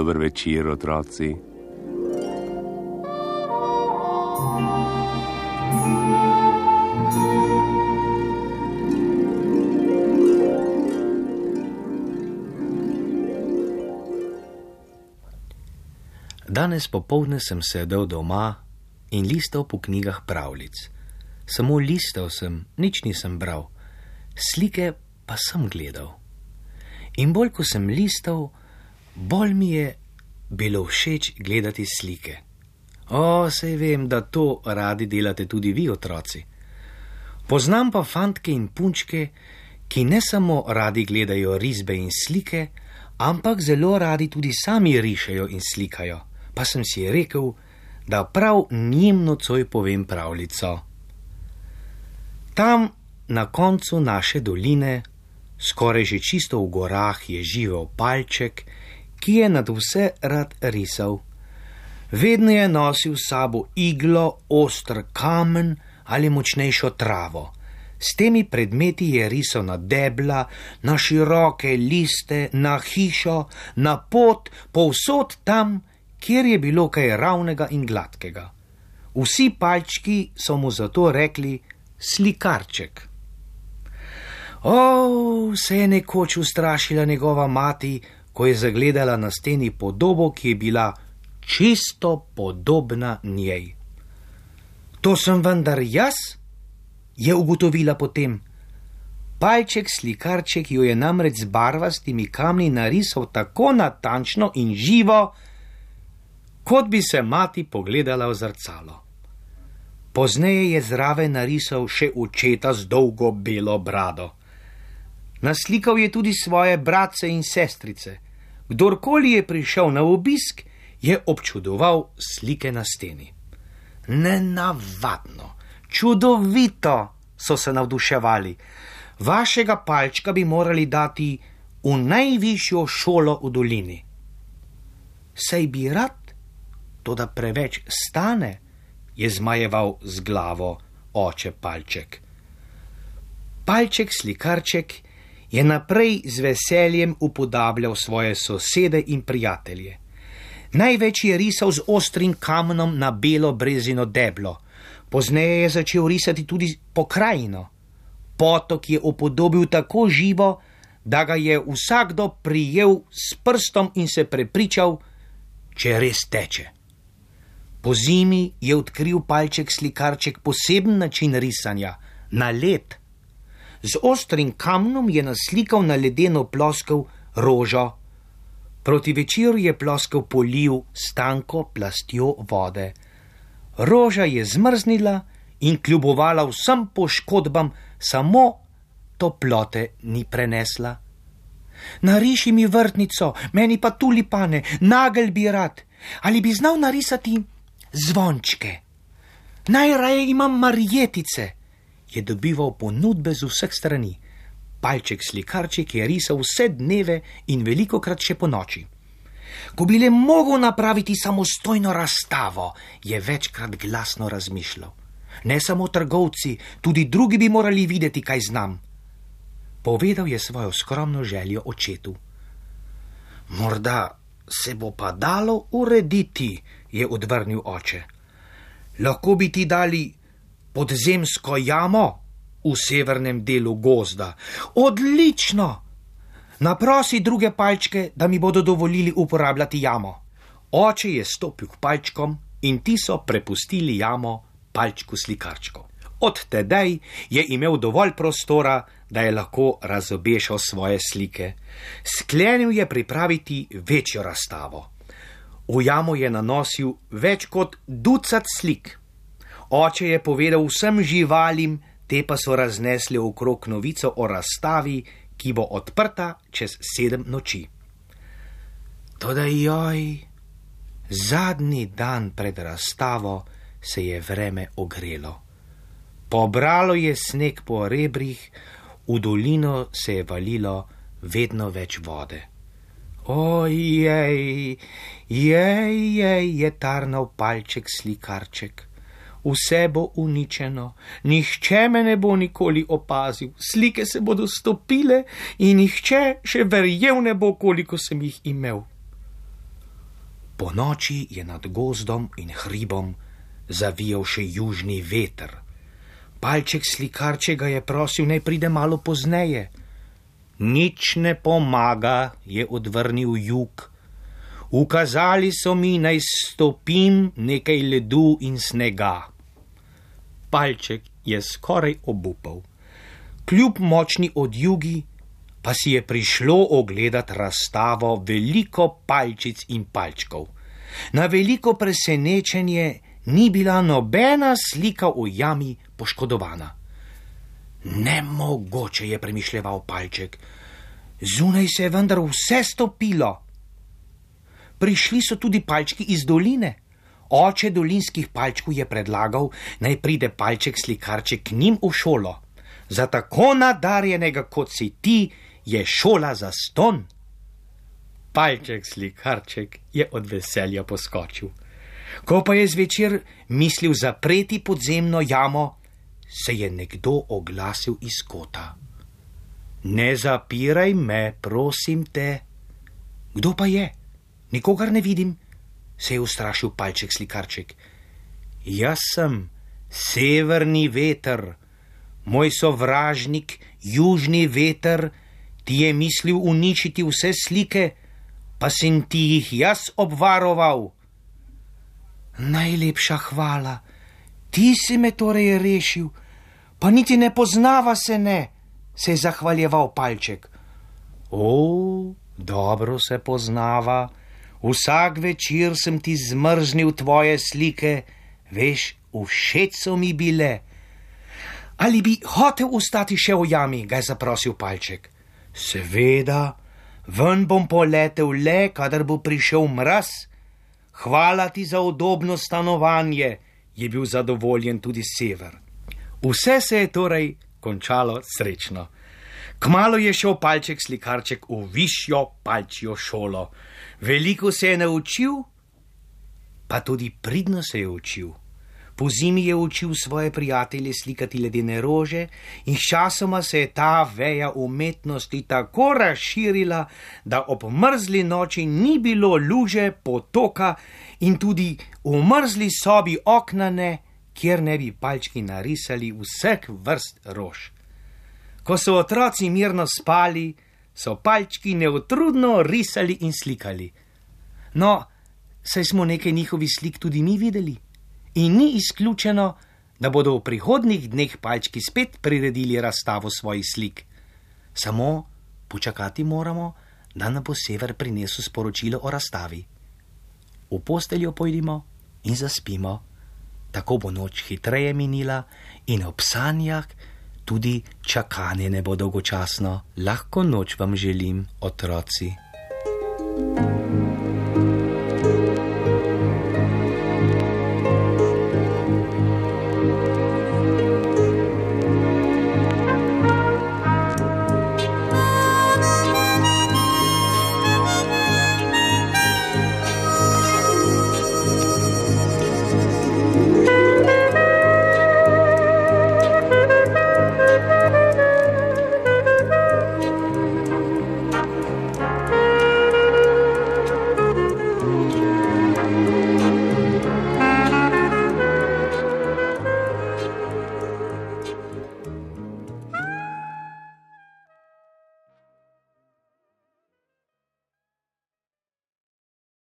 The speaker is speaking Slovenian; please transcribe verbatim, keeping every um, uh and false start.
Dober večer, otroci. Danes popoldne sem sedel doma in listal po knjigah pravljic. Samo listal sem, nič nisem bral, slike pa sem gledal. In bolj, ko sem listal, bolj mi je bilo všeč gledati slike. O, saj vem, da to radi delate tudi vi, otroci. Poznam pa fantke in punčke, ki ne samo radi gledajo risbe in slike, ampak zelo radi tudi sami rišejo in slikajo. Pa sem si rekel, da prav njim nocoj povem pravljico. Tam na koncu naše doline, skoraj že čisto v gorah, je živel palček, ki je nad vse rad risal. Vedno je nosil s sabo iglo, oster kamen ali močnejšo travo. S temi predmeti je risal na debla, na široke liste, na hišo, na pot, povsod tam, kjer je bilo kaj ravnega in gladkega. Vsi palčki so mu zato rekli slikarček. O, se je nekoč ustrašila njegova mati, ko je zagledala na steni podobo, ki je bila čisto podobna njej. To sem vendar jaz, je ugotovila potem. Palček slikarček jo je namreč z barvastimi kamni narisal tako natančno in živo, kot bi se mati pogledala v zrcalo. Pozneje je zraven narisal še očeta z dolgo belo brado. Naslikal je tudi svoje bratce in sestrice. Kdorkoli je prišel na obisk, je občudoval slike na steni. Nenavadno, čudovito, so se navduševali. Vašega palčka bi morali dati v najvišjo šolo v dolini. Saj bi rad, toda preveč stane, je zmajeval z glavo oče palček. Palček slikarček je naprej z veseljem upodabljal svoje sosede in prijatelje. Največ je risal z ostrim kamenom na belo brezino deblo. Pozneje je začel risati tudi pokrajino. Potok je upodobil tako živo, da ga je vsakdo prijel s prstom in se prepričal, če res teče. Po zimi je odkril palček slikarček poseben način risanja, na led. Z ostrim kamnom je naslikal na ledeno ploskev rožo. Proti večeru je ploskev polil s tanko plastjo vode. Roža je zmrznila in kljubovala vsem poškodbam, samo toplote ni prenesla. Nariši mi vrtnico, meni pa tulipane, nagelj bi rad. Ali bi znal narisati zvončke? Najraje imam marjetice. Je dobival ponudbe z vseh strani. Palček slikarček je risal vse dneve in velikokrat še po noči. Ko bi le mogel napraviti samostojno razstavo, je večkrat glasno razmišljal. Ne samo trgovci, tudi drugi bi morali videti, kaj znam. Povedal je svojo skromno željo očetu. Morda se bo pa dalo urediti, je odvrnil oče. Lahko bi ti dali podzemsko jamo v severnem delu gozda. Odlično! Naprosi druge palčke, da mi bodo dovolili uporabljati jamo. Oče je stopil k palčkom in ti so prepustili jamo palčku slikarčku. Od tedaj je imel dovolj prostora, da je lahko razobešal svoje slike. Sklenil je pripraviti večjo razstavo. V jamo je nanosil več kot ducat slik. Oče je povedal vsem živalim, te pa so raznesli okrog novico o razstavi, ki bo odprta čez sedem noči. Toda joj, zadnji dan pred razstavo se je vreme ogrelo. Pobralo je sneg po rebrih, v dolino se je valilo vedno več vode. Ojej, jej, jej, je tarnal palček slikarček. Vse bo uničeno, nihče me ne bo nikoli opazil, slike se bodo stopile in nihče še verjel ne bo, koliko sem jih imel. Po noči je nad gozdom in hribom zavijal še južni veter. Palček slikarče ga je prosil, naj pride malo pozneje. Nič ne pomaga, je odvrnil jug. Ukazali so mi, naj stopim nekaj ledu in snega. Palček je skoraj obupal. Kljub močni odjugi pa si je prišlo ogledat razstavo veliko palčic in palčkov. Na veliko presenečenje ni bila nobena slika v jami poškodovana. Nemogoče, je premišljeval Palček. Zunaj se je vendar vse stopilo. Prišli so tudi palčki iz doline. Oče dolinskih palčkov je predlagal, naj pride Palček slikarček k njim v šolo. Za tako nadarjenega, kot si ti, je šola zastonj. Palček slikarček je od veselja poskočil. Ko pa je zvečer mislil zapreti podzemno jamo, se je nekdo oglasil iz kota. Ne zapiraj me, prosim te. Kdo pa je? Nikogar ne vidim, se je ustrašil Palček slikarček. Jaz sem severni veter, moj sovražnik, južni veter, ti je mislil uničiti vse slike, pa sem ti jih jaz obvaroval. Najlepša hvala, ti si me torej rešil, pa niti ne poznava se ne, se je zahvaljeval Palček. O, dobro se poznava, vsak večer sem ti zmrznil tvoje slike, veš, všeč so mi bile. Ali bi hotel ostati še v jami, ga je zaprosil Palček. Seveda, ven bom poletel le, kadar bo prišel mraz. Hvala ti za udobno stanovanje, je bil zadovoljen tudi sever. Vse se je torej končalo srečno. Kmalu je šel Palček slikarček v višjo palčjo šolo. Veliko se je naučil, pa tudi pridno se je učil. Po zimi je učil svoje prijatelje slikati ledene rože in sčasoma se je ta veja umetnosti tako razširila, da ob mrzli noči ni bilo luže, potoka in tudi v mrzli sobi okna ne, kjer ne bi palčki narisali vseh vrst rož. Ko so otroci mirno spali, so palčki neutrudno risali in slikali. No, saj smo nekaj njihovih slik tudi mi videli. In ni izključeno, da bodo v prihodnjih dneh palčki spet priredili razstavo svojih slik. Samo počakati moramo, da nam bo sever prinesel sporočilo o razstavi. V posteljo pojdimo in zaspimo. Tako bo noč hitreje minila in ob sanjah tudi čakanje ne bo dolgočasno. Lahko noč vam želim, otroci.